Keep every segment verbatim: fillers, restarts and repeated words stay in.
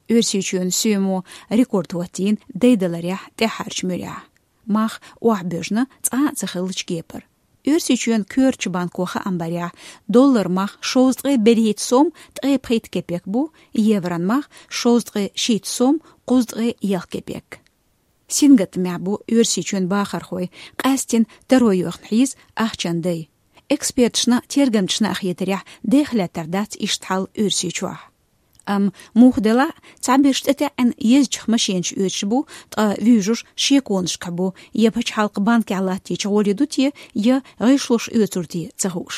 Оьрсийчоьнан соьмо рекорд хӀоттийна дайдаларехь тӀаьххьарчу муьрехь. Мах охьабоьжна цкъа а ца хиллачу кепара. Оьрсийчоьнан коьртачу банко хаам барехь, долларан мах шовзткъе берхӀитта сом ткъе пхийтта кепек бу, еврон мах шовзткъе шийтта сом кхузткъе ялх кепек. Сингаттамехь бу Оьрсийчоьнан бахархой, къаьсттина таро йоьхна хьийза ахчанан дай. Эксперташна, тергамчашна а хетарехь, дехьа лаьттар дац иштта хьал Оьрсийчохь. Амма муха делахь а, цхьаберш тӀетаьӀӀина езачех машенаш оьцуш бу, ткъа вуьйжуш шеконашкахь бу, я пачхьалкхан банкехь латтийча гӀоле ду те, я гӀишлош оьцур те ца хууш.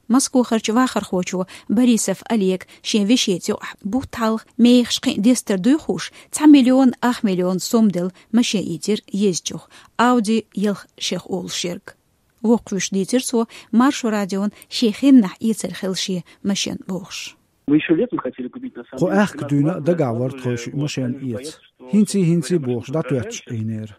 Москохарчу вахархочо Борисов Олега шен вешица юкъахь бутт хьалха мехаш кхин а дестар дуй хууш, цхьа миллион ах миллион сом делла машен ийцира езачух, Audi ялх шех олуш ерг. Воккхавеш дийцира цо Маршо радиона шен хеннахь эцар хилла шен машен бохуш. Мы ещё летом хотели купить, на самом Кху деле, аьхка дуьйна а дагахь вара тхойша машен эца. ХӀинций-хӀинций бохуш дӀатоьттуш Ӏийнера.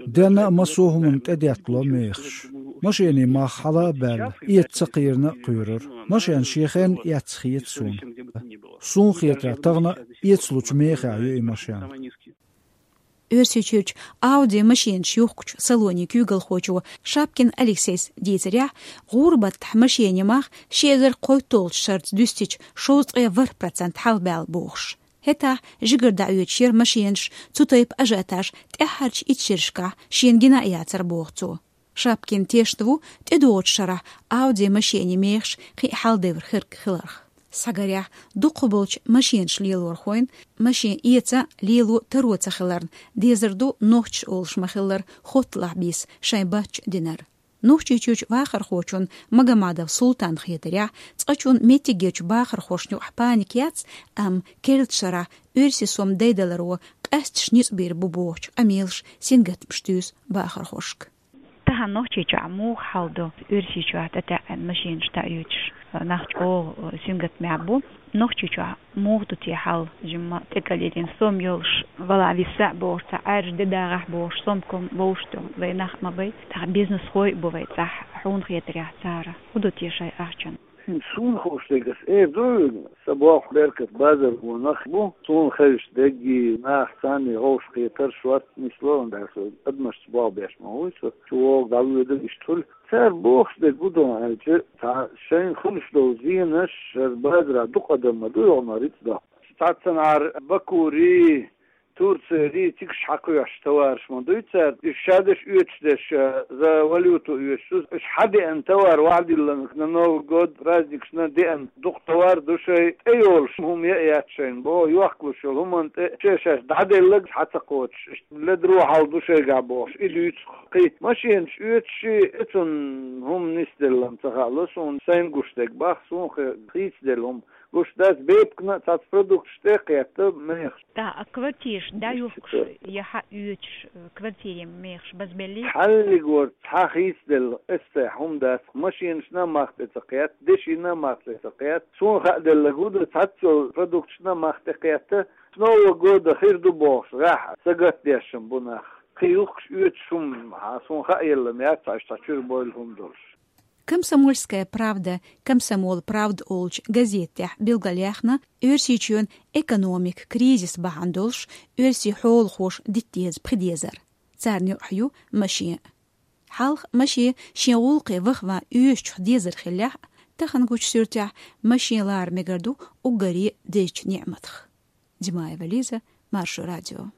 Денна а массо а хӀуманна тӀедеттало мехаш. Машенийн мах хьала а баьлла, эца ца кхийрина а кхоьрура. Машен шен хенна эцна хета суна. Суна хетарехь, тахана а эцалучу мехехь ю и машен. Оьрсийчуьрчу Audi машенаш юхкучу салонийн куьйгалхочо Шапкин Алексейс дийцарехь, гӀуран баттахь машенийн мах ши эзар кхойтталгӀачу шарца дуьстича шовзткъе ворхӀ процент хьалабаьлла бохуш. ХӀетахь жигара дӀаоьцуш яра машенаш, цу тайпа ажиотаж тӀаьххьарчу итт шерашкахь шена гина а яцара, боху цо. Шапкин тешна ву, тӀедогӀучу шарахь Audi машенийн мехаш кхин а хьаладевр хирг хиларх. Схьагарехь, дукхахболчу машенаш лелорхойн машен эца, лело таро ца хиларна, дезар ду нохчаша олуш ма-хиллара хотталахь бийса шайн баттачу динарг. Нохчийчуьрчу вахархочун Магомадов Султанна хетарехь, цкъачунна меттигерчу бахархошна юкъахь паника яц, амма керлачу шарахь оьрсийн сом дайдаларо къаьсташ ницкъ бийр бу бохучу къамелаш, сингаттамаш туьйсу бахархошка. Тахана Нохчийчохь муха хьал ду, Оьрсийчохь тӀетаьӀӀина машенаш дӀаоьцуш, нах чӀогӀа сингаттамехь бу. Нохчийчохь муха ду те хьал, жимма тӀекӀел йиллина сом йолуш, вала виса а бохуш, цхьа Ӏаьржа де дагӀахь бохуш, сомком вовшах ду вай нах а ма бай, тахана бизнесхой а бу вай цӀахь, хьуна хетарехь цара хӀун ду те шайн ахчанна? Суна хууш дерг ас эр ду, сан болх беркат базар вон нах бу, суна хезаш дерг, нах царний гӀовш кхетар шорта нисло, ан даьр со адамашца болх беш ма вуй со, чу вогӀу дӀавоьдур иштта хуьлу. Цара бохуш дерг гу ду аьлча, цхьа шайна хуьлуш долу зенаш, шара базара дукха адам ма ду йогӀу ма рицкъ до. Цхьаццанхьара Бакури, Турцери, цигаш хьакхоьхьуш товараш ма дуй цара, уьш шадерш оьцуш дерш, за валюту оьцуш, уьш хьадеана товар вахдилланг на Новый год праздникашна деана дукха товар ду шай, тӀейолуш хӀума яа яц шайна, бо, йохкалуш йолу хӀуманна тӀе шен шаьш дӀаделлаг хьа ца кхочуш, иштта ледрохьал ду шайгахь бохуш, и дуьйцу кхин. Машенаш оьцуш и, цунна хӀума нисделлам ца хаало суна, сайн гуш дерг бах, суна хи-, хийцаделла хӀума. Гуш дац, бепкана а цхьацца продукташ тӀе а кхетта, мехаш. Да, а квартираш дӀаюхкуш, я хьаоьцуш, э, квартирийн мехаш базбеллий? Хьаллиг вара цхьа хийцаделла, эсса хӀума дац, машинашна а мах тӀе ца кхетта, дешина а мах тӀе ца кхетта. Суна хааделларг хӀун ду, цхьацца йолу продукташна а мах тӀе кхетта, с Нового года хир ду бохуш, гӀеххьа, сагатдешшам бу нах. Кхин юхкуш оьцуш хӀума, хьан суна хааеллам яц, цхьа чуьра бойла хӀума долуш. «Комсомольская правда», «Комсомол правда» олучу газетехь билгалъяьхна Оьрсийчоьнан экономикан кризис бахьана долуш оьрсийн хьолахоша дита деза пхи дезар. Царна юкъахь ю машен. Хьалха машен шен гӀуллакхе ваха-ван оьшучух дезар хиллехь а, тахана гучу суьртехь машен лара мегар ду уггаре дезачу неӀматах. Димаева Лиза, Маршо радио.